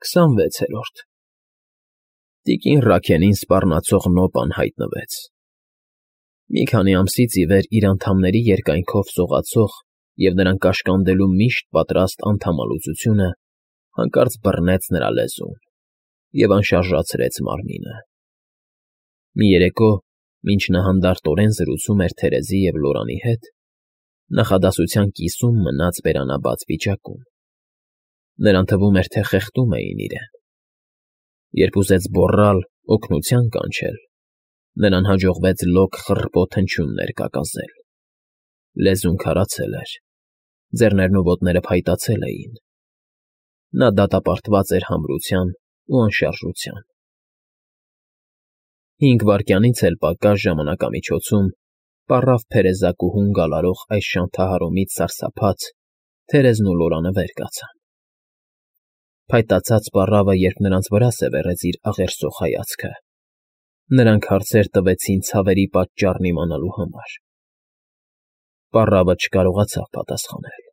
26-րդ Տիկին Ռաքենին սպառնացող նոպան հայտնվեց։ Մի քանի ամսից ի վեր իր անդամների երկայնքով սողացող և նրան կաշկանդելու միշտ պատրաստ անդամալուծությունը հանկարծ բռնեց նրա լեզուն և անշարժացրեց մարմինը։ Մի երեկո, մինչ նա հանդարտորեն զրուցում էր Թերեզի և Լորանի հետ, նախադասության կիսում մնաց բերանաբաց վիճակում։ Նրան թվում էր, թե խեղդում էին իրեն։ Երբ ուզեց գոռալ, օգնության կանչել, նրան հաջողվեց լոկ խռպոտ հնչյուններ կակազել։ Լեզուն քարացել էր, ձեռներն ու ոտները փայտացել էին։ Նա դատապարտված էր համրության ու անշարժության։ 5 վայրկյանից էլ պակաս ժամանակամիջոցում պառավ փերեզակուհուն գալարող այս շանթահարումից սարսափած Թերեզն ու Լորանը վեր կացան։ Փայտացած պառավը, երբ նրանց վրա սևեռեց իր աղերսող հայացքը, նրանք հարցեր տվեցին ցավերի պատճառն իմանալու համար։ Պառավը չկարողացավ պատասխանել։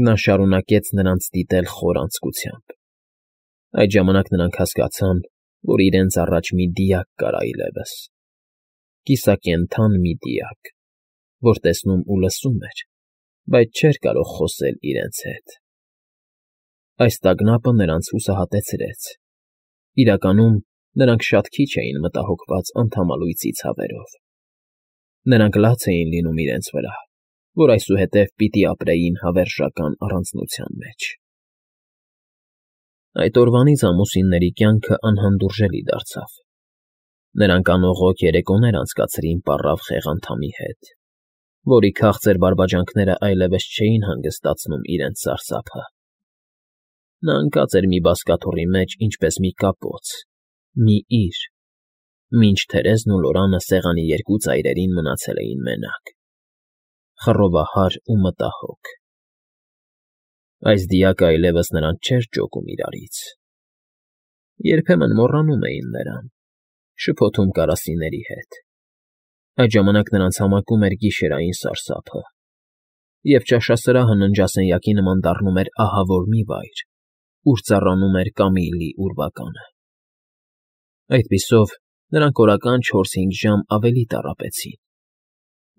Նա շարունակեց նրանց դիտել խոր անձկությամբ։ Այդ ժամանակ նրանք հասկացան, որ իրենց առաջ մի դիակ կար այլևս, կիսակենդան մի դիակ, որ տեսնում ու լսում էր, բայց չէր կարող խոսել իրենց հետ։ Այս տագնապը նրանց հուսահատեցրեց։ Իրականում, նրանք շատ քիչ էին մտահոգված անդամալույծի ցավերով։ Նրանք լաց էին լինում իրենց վրա, որ այսուհետև պիտի ապրեին հավերժական առանձնության մեջ։ Այդ օրվանից ամուսինների կյանքը անհանդուրժելի դարձավ։ Նրանք անողոք երեկոներ անցկացրին պառավ խեղանդամի հետ, որի քաղցր բարբաջանքները այլևս չէին հանգստացնում իրենց սարսափը։ Նա ընկած էր մի բազկաթոռի մեջ, ինչպես մի կապոց, մի իր, մինչ Թերեզն ու Լորանը սեղանի երկու ծայրերին մնացել էին մենակ, խռովահար ու մտահոգ։ Այս դիակը այլևս նրանց չէր ջոկում իրարից։ Երբեմն մոռանում էին նրան, շփոթում կարասիների հետ։ Այդ ժամանակ նրանց համակում էր գիշերային սարսափը, և ճաշասրահը ննջասենյակի նման դառնում էր ահավոր մի վայր, ուր ծառանում էր Կամիլլի ուրվականը։ Այդպիսով նրանք օրական 4-5 ժամ ավելի տառապեցին։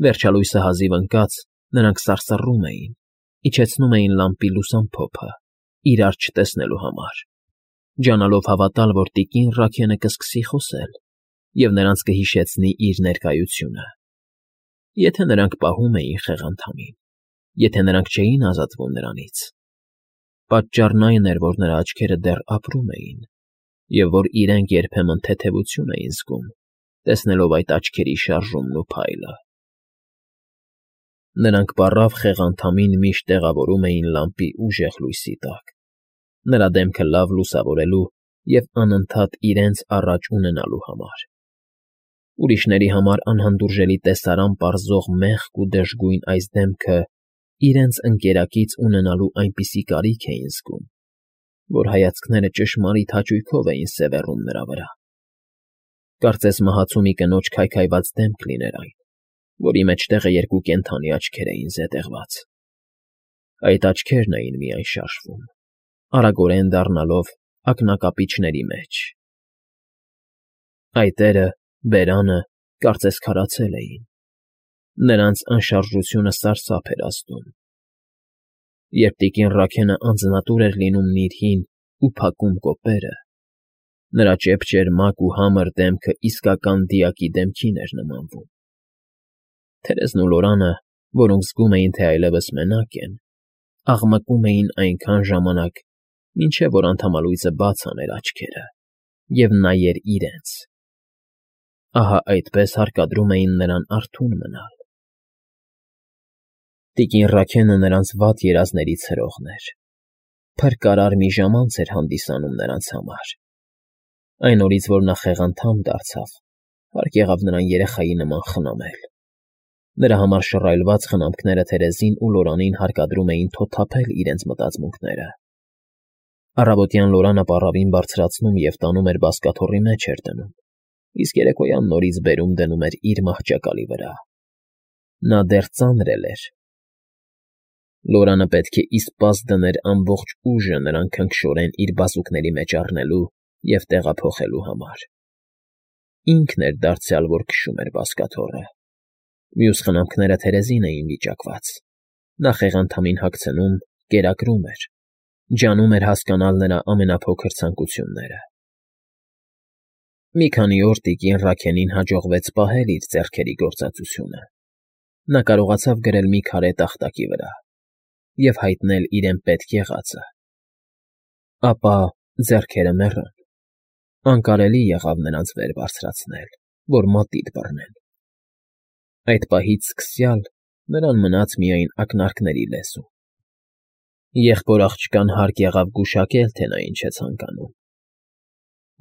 Վերջալույսը հազիվ ընկած, նրանք սարսռում էին, իջեցնում էին լամպի լուսամփոփը, իրար չտեսնելու համար, ջանալով հավատալ, որ տիկին Ռաքենը կսկսի խոսել և նրանց կհիշեցնի իր ներկայությունը։ Եթե նրանք պահում էին խեղանդամին, եթե նրանք չէին ազատվում նրանից, պատճառն այն էր, որ նրա աչքերը դեռ ապրում էին, և որ իրենք երբեմն թեթևություն էին զգում, տեսնելով այդ աչքերի շարժումն ու փայլը։ Նրանք պառավ խեղանդամին միշտ տեղավորում էին լամպի ուժեղ լույսի տակ, նրա դեմքը լավ լուսավորելու և անընդհատ իրենց առաջ ունենալու համար։ Ուրիշների համար անհանդուրժելի տեսարան պարզող մեղք ու դժգույն այս դեմքը իրենց ընկերակից ունենալու այնպիսի կարիք էին զգում, որ հայացքները ճշմարիտ հաճույքով էին սևեռում նրա վրա։ Կարծես մահացու մի կնոջ քայքայված դեմք լիներ այն, որի մեջտեղը երկու կենդանի աչքեր էին զետեղված։ Այդ աչքերն էին միայն շարժվում, արագորեն դառնալով ակնակապիճների մեջ։ Այտերը, բերանը, կարծես քարացել էին։ Նրանց անշարժությունը սարսափ էր ազդում։ Երբ տիկին Ռաքենը անձնատուր էր լինում նիրհին ու փակում կոպերը, նրա ճեպճերմակ ու համր դեմքը իսկական դիակի դեմքին էր նմանվում։ Թերեզն ու Լորանը, որոնք զգում էին, թե այլևս մենակ են, աղմկում էին այնքան ժամանակ, մինչև որ անդամալույծը բաց աներ աչքերը և նայեր իրենց։ Ահա այդպես հարկադրում էին նրան արթուն մնալ։ Տիկին Ռաքենը նրանց վատ երազներից հրողն էր։ Փրկարար մի ժամանց էր հանդիսանում նրանց համար։ Այն օրից, որ նա խեղանդամ դարձավ, հարկ եղավ նրան երեխայի նման խնամել։ Նրա համար շռայլված խնամքները Թերեզին ու Լորանին հարկադրում էին թոթափել իրենց մտածմունքները։ Առավոտյան Լորանը պառավին բարձրացնում և տանում էր բազկաթոռի մեջ էր դնում, իսկ երեկոյան նորից բերում դնում էր իր մահճակալի վրա։ Նա դեռ ծանր էր։ Լորանը պետք է իսպաս դներ ամբողջ ուժը նրան քնքշորեն իր բազուկների մեջ առնելու և տեղափոխելու համար։ Ինքն էր դարձյալ, որ քշում էր բազկաթոռը։ Մյուս խնամքները թերեզին էին վիճակված։ Նա խեղանդամին հագցնում, կերակրում էր, ջանում էր հասկանալ նրա ամենափոքր ցանկությունները։ Մի քանի օր տիկին Ռաքենին հաջողվեց պահել իր ձեռքերի գործածությունը։ Նա կարողացավ գրել մի քարե տախտակի վրա և հայտնել իրեն պետք եղածը։ Ապա ձեռքերը մեռան։ Անկարելի եղավ նրանց վեր բարձրացնել, որ մատիտ բռնեն։ Այդ պահից սկսյալ նրան մնաց միայն ակնարկների լեզու։ Եղբոր աղջկան հարկ եղավ գուշակել, թե նա ինչ է ցանկանում։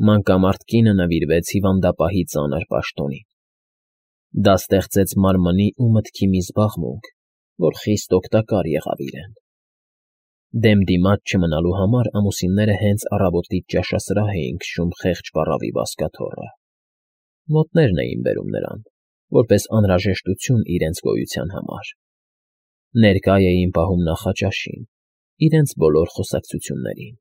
Մանկամարդ կինը նվիրվեց հիվանդապահի ծանր պաշտոնին։ Դա ստեղծեց մարմնի ու մտքի մի զբաղմունք, որ խիստ օգտակար եղավ իրեն։ Դեմ դիմաց չմնալու համար ամուսինները հենց առավոտից ճաշասրահ էին քշում խեղճ պառավի բազկաթոռը։ Մոտներն էին բերում նրան, որպես անհրաժեշտություն իրենց գոյության համար։ Ներկա էին պահում նախաճաշին, իրենց բոլոր խոսակցություններին։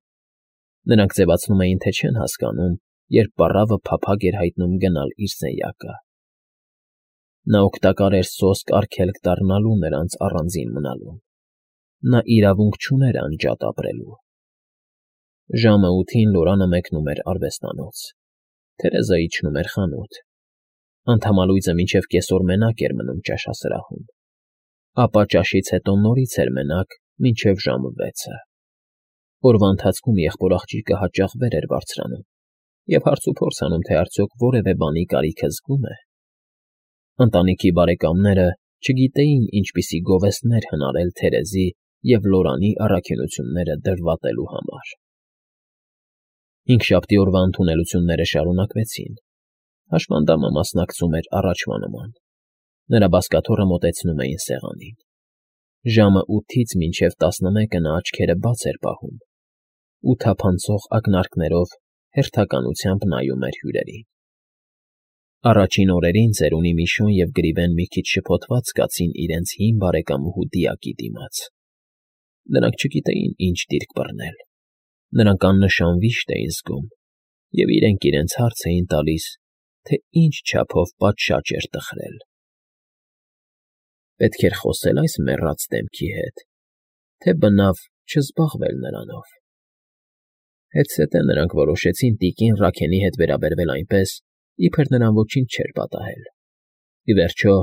Նրանք ձևացնում էին, թե չեն հասկանում, երբ պառավը փափագ էր հայտնում գնալ իր սենյակը։ Նա օգտակար էր սոսկ արգելք դառնալու նրանց առանձին մնալուն։ Նա իրավունք չուներ անջատ ապրելու։ Ժամը 8-ին Լորանը մեկնում էր արվեստանոց։ Թերեզը իջնում էր խանութ։ Անդամալույձը մինչև կեսօր մենակ էր մնում ճաշասրահում։ Ապա ճաշից հետո նորից էր մենակ մինչև ժամը 6-ը։ Օրվա ընթացքում եղբոր աղջիկը հաճախ վեր էր բարձրանում և հարցուփորձ անում, թե արդյոք որևէ բանի կարիքը զգում է։ Ընտանիքի բարեկամները չգիտեին ինչպիսի գովեստներ հնարել Թերեզի և Լորանի առաքինությունները դրվատելու համար։ Հինգշաբթի օրվա ընդունելությունները շարունակվեցին։ Հաշմանդամը մասնակցում էր առաջվա նման։ Նրա բազկաթոռը մոտեցնում էին սեղանին։ Ժամը 8-ից մինչև 11-ը նա աչքերը բաց էր պահում ու թափանցող ակնարկներով հերթականությամբ նայում էր հյուրերին։ Առաջին օրերին ծերունի Միշոն և Գրիվեն մի քիչ շփոթված կացին իրենց հին բարեկամուհու դիակի դիմաց։ Նրանք չգիտեին ինչ դիրք բռնել։ Նրանք աննշան վիշտ էին զգում և իրենք հարց էին տալիս, թե ինչ չափով պատշաճ էր տխրել։ Պետք էր խոսել այս մեռած դեմքի հետ, թե բնավ չզբաղվել նրանով։ Հետզհետե նրանք որոշեցին տիկին Ռաքենի հետ վերաբերվել այնպես, իբր նրան ոչինչ չէր պատահել։ Ի վերջո,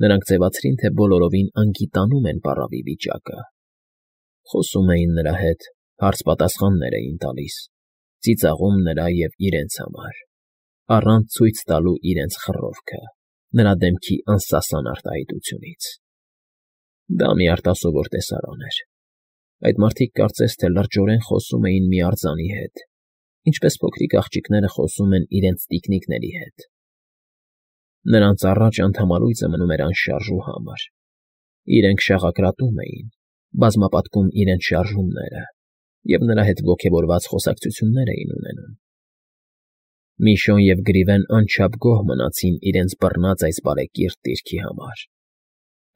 նրանք ձևացրին, թե բոլորովին անգիտանում են պառավի վիճակը։ Խոսում էին նրա հետ, հարց֊պատասխաններ էին տալիս, ծիծաղում նրա և իրենց համար, առանց ցույց տալու իրենց խռովքը, նրա դեմքի անսասան արտահայտությունից։ Դա մի արտասովոր տեսարան էր։ Այդ մարդիկ կարծես թե լրջորեն խոսում էին մի արձանի հետ, ինչպես փոքրիկ աղջիկները խոսում են իրենց տիկնիկների հետ։ Նրանց առաջ անդամալույձը մնում էր անշարժ ու համր։ Իրենք շաղակրատում էին, բազմապատկում իրենց շարժումները և նրա հետ ոգևորված խոսակցություններ էին ունենում։ Միշոն և Գրիվեն անչափ գոհ մնացին իրենց բռնած այս բարեկիրթ դիրքի համար։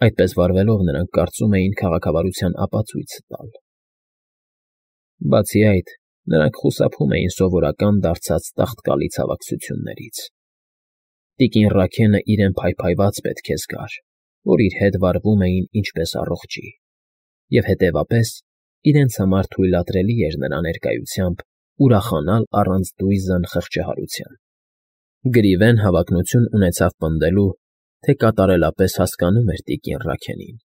Այդպես վարվելով նրանք կարծում էին քաղաքավարության ապացույց տալ։ Բացի այդ, նրանք խուսափում էին սովորական դարձած տաղտկալի ցավակցություններից։ Տիկին Ռաքենը իրեն փայփայված պետք է զգար, որ իր հետ վարվում էին ինչպես առողջի, և հետևապես իրենց համար թույլատրելի էր նրա ներկայությամբ ուրախանալ առանց դույզն խղճահարության։ Գրիվեն հավակնություն ունեցավ պնդելու, թե կատարելապես հասկանում էր տիկին Ռաքենին,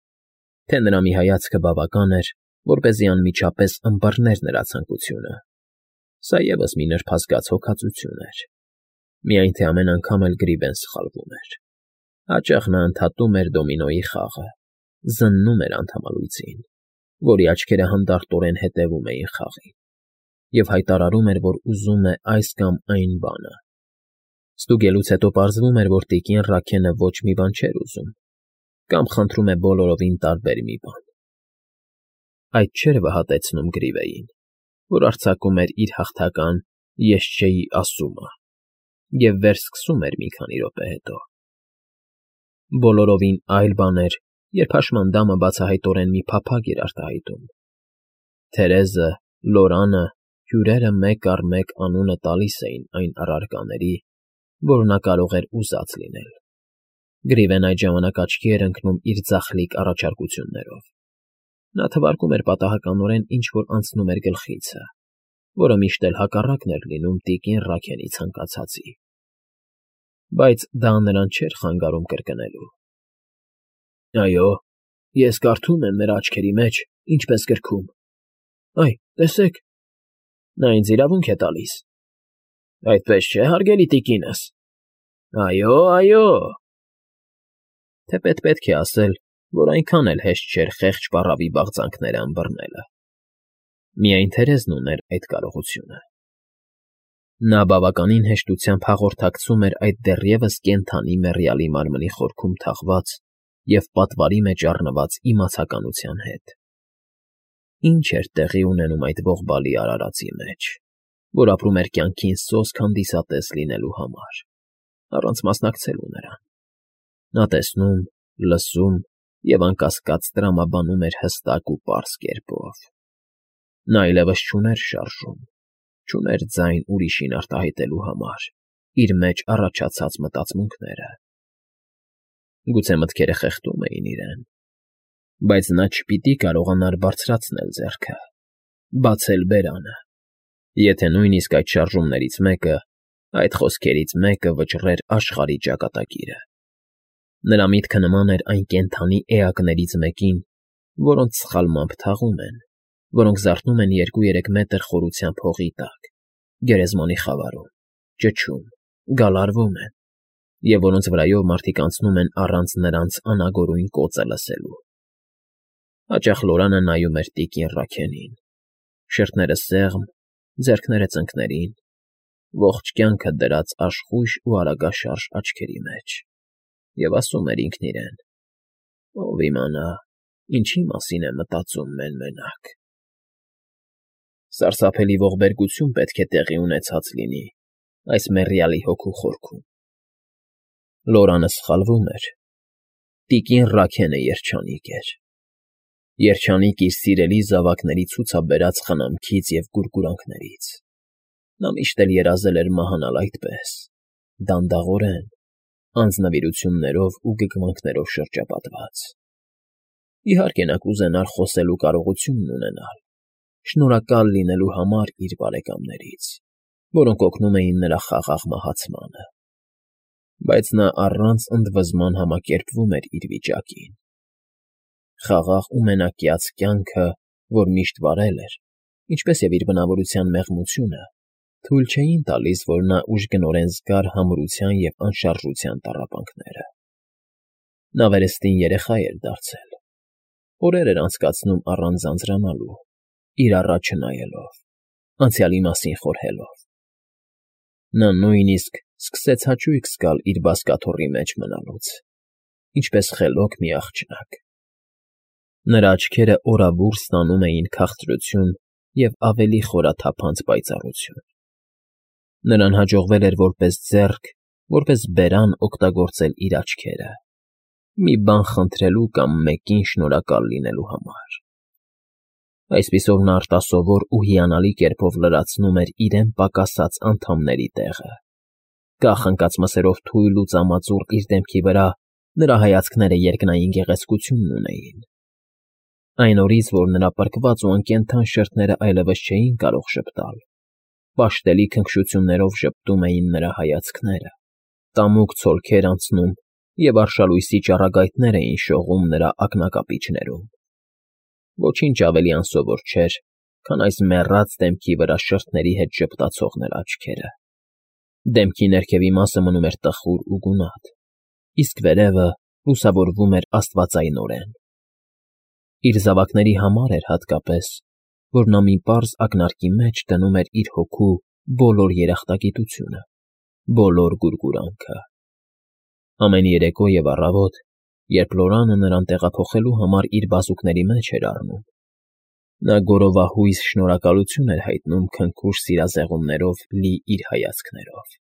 թե նրա մի հայացքը բավական էր, որպեսզի անմիջապես ըմբռներ նրա ցանկությունը։ Սա ևս մի նրբազգաց հոգածություն էր։ Միայն թե ամեն անգամ էլ Գրիվեն սխալվում էր։ Հաճախ նա ընդհատում էր դոմինոյի խաղը, զննում էր անդամալույձին, որի աչքերը հանդարտորեն հետևում էին խաղին, և հայտարարում էր, որ ուզում է այս կամ այն բանը։ Ստուգելուց հետո պարզվում էր, որ տիկին Ռաքենը ոչ մի բան չէր ուզում, կամ խնդրում է բոլորովին տարբեր մի բան։ Այդ չէր վհատեցնում Գրիվեին, որ արձակում էր իր հաղթական «ես չէի» ասումը և վերսկսում էր մի քանի րոպե հետո։ Բոլորովին այլ բան էր, երբ հաշմանդամը բացահայտորեն մի փափագ էր արտահայտում։ Թերեզը, Լորանը, հյուրերը մեկ առ մեկ անունը տալիս էին այն առարկաների, որ նա կարող էր ուզած լինել։ Գրիվեն այդ ժամանակ աչքի էր ընկնում իր ձախլիկ առաջարկություններով։ Նա թվարկում էր պատահականորեն ինչ-որ անցնում էր գլխիցը, որը միշտ էլ հակառակն էր լինում տիկին Ռաքենի ցանկացածի։ Բայց դա նրան չէր խանգարում կրկնելու. «Այո, ես կարդում եմ նրա աչքերի մեջ, ինչպես գրքում։ Այ, տեսեք, նա ինձ իրավունք է տալիս։ Այդպես չէ, հարգելի տիկինս։ Այո, այո»։ Թեպետ պետք է ասել, որ այնքան էլ հեշտ չէր խեղճ պառավի բաղձանքները ըմբռնելը։ Միայն Թերեզն ուներ այդ կարողությունը։ Նա բավականին հեշտությամբ հաղորդակցում էր այդ դեռևս կենդանի մեռյալի մարմնի խորքում թաղված և պատվարի մեջ առնված իմացականության հետ։ Ինչ էր տեղի ունենում այդ ողբալի արարածի մեջ, որ ապրում էր կյանքին սոսկ հանդիսատես լինելու համար, առանց մասնակցելու նրան։ Նա տեսնում, լսում և անկասկած տրամաբանում էր հստակ ու պարզ կերպով։ Նա այլևս չուներ շարժում, չուներ ձայն ուրիշին արտահայտելու համար իր մեջ առաջացած մտածմունքները։ Գուցե մտքերը խեղդում էին իրեն, բայց նա չպիտի կարողանար բարձրացնել ձեռքը, բացել բերանը, եթե նույնիսկ այդ շարժումներից մեկը, այդ խոսքերից մեկը վճռեր աշխարհի ճակատագիրը։ Նրա միտքը նման էր այն կենդանի էակներից մեկին, որոնց սխալմամբ թաղում են, որոնք զարթնում են 2-3 մետր խորությամբ հողի տակ, գերեզմանի խավարում, ճչում, գալարվում են, և որոնց վրայով մարդիկ անցնում են առանց նրանց անագորույն կոծը լսելու։ Հաճախ Լորանը նայում էր տիկին Ռաքենին, շրթները սեղմ, ձեռքները ծնկներին, ողջ կյանքը դրած աշխույժ ու արագաշարժ աչքերի մեջ, և ասում էր ինքն իրեն. «Ով իմանա, ինչի մասին է մտածում մեն֊մենակ»։ Սարսափելի ողբերգություն պետք է տեղի ունեցած լինի այս մեռյալի հոգու խորքում։ Լորանը սխալվում էր։ Տիկին Ռաքենը երջանիկ էր։ Երջանիկ իր սիրելի զավակների ցուցաբերած խնամքից և գուրգուրանքներից։ Նա միշտ էլ երազել էր մահանալ այդպես, դանդաղորեն, անձնվիրություններով ու գգմանքներով շրջապատված։ Իհարկե նա կուզենար խոսելու կարողությունն ունենալ, շնորհակալ լինելու համար իր բարեկամներից, որոնք օգնում էին նրա խաղաղ մահացմանը։ Բայց նա առանց ընդվզման համակերպվում էր իր վիճակին։ Խաղաղ ու մենակյաց կյանքը, որ միշտ վարել էր, ինչպես և իր բնավորության մեղմությունը, թույլ չէին տալիս, որ նա ուժգնորեն զգար համրության և անշարժության տառապանքները։ Նա վերստին երեխա էր դարձել, օրեր էր անցկացնում առանց ձանձրանալու, իր առաջ չնայելով, անցյալի մասին խորհելով։ Նա նույնիսկ սկսեց հաճույք զգալ իր բազկաթոռի մեջ մնալուց, ինչպես խելոք մի աղջնակ։ Նրա աչքերը օրավուր ստանում էին քաղցրություն և ավելի խորաթափանց պայծառություն։ Նրան հաջողվել էր որպես ձեռք, որպես բերան օգտագործել իր աչքերը, մի բան խնդրելու կամ մեկին շնորհակալ լինելու համար։ Այսպիսով նա արտասովոր ու հիանալի կերպով լրացնում էր իրեն պակասած անդամների տեղը։ Կախ ընկած մսերով թույլ ու ծամածուռ իր դեմքի վրա նրա հայացքները երկնային գեղեցկություն ունեին։ Այն օրից, որ նրա պրկված ու անկենդան շրթները այլևս չէին կարող ժպտալ, պաշտելի քնքշություններով ժպտում էին նրա հայացքները, տամուկ ցոլքեր անցնում և արշալույսի ճառագայթներ էին շողում նրա ակնակապիճներում։ Ոչինչ ավելի անսովոր չէր, քան այս մեռած դեմքի վրա շրթների հետ ժպտացող նրա աչքերը։ Դեմքի ներքևի մասը մնում էր տխուր ու գունատ, իսկ վերևը լուսավորվում էր աստվածայնորեն։ Իր զավակների համար էր հատկապես, որ նա մի պարզ ակնարկի մեջ դնում էր իր հոգու բոլոր երախտագիտությունը, բոլոր գուրգուրանքը։ Ամեն երեկո և առավոտ, երբ Լորանը նրան տեղափոխելու համար իր բազուկների մեջ էր առնում, նա գորովահույս շնորհակալություն էր հայտնում քնքուշ սիրազեղումներով լի իր հայացքներով։